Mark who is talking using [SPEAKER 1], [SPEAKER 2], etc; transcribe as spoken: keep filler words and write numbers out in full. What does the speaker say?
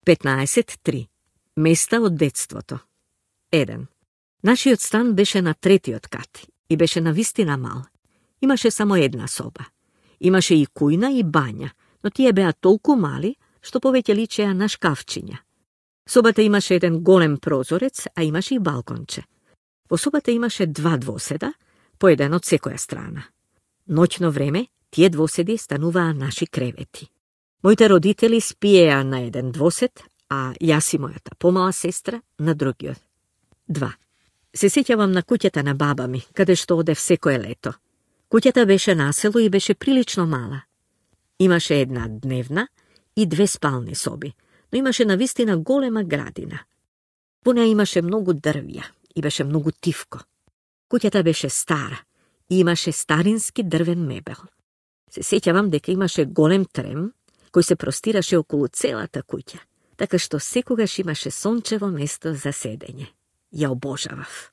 [SPEAKER 1] петнаесет три. Места од детството. еден. Нашиот стан беше на третиот кат и беше навистина мал. Имаше само една соба. Имаше и кујна и бања, но тие беа толку мали, што повеќе личеа на шкафчиња. Собата имаше еден голем прозорец, а имаше и балконче. Во собата имаше два двоседа, по еден од секоја страна. Ноќно време, тие двоседи стануваа наши кревети. Моите родители спиеа на еден двосед, а јас и мојата помала сестра на другиот. два. Се сеќавам на куќата на баба ми, каде што одев секое лето. Куќата беше на село и беше прилично мала. Имаше една дневна и две спални соби, но имаше навистина голема градина. Во неа имаше многу дрвја и беше многу тивко. Куќата беше стара и имаше старински дрвен мебел. Се сеќавам дека имаше голем трем кој се простираше околу целата куќа, така што секогаш имаше сончево место за седење. Ја обожавав.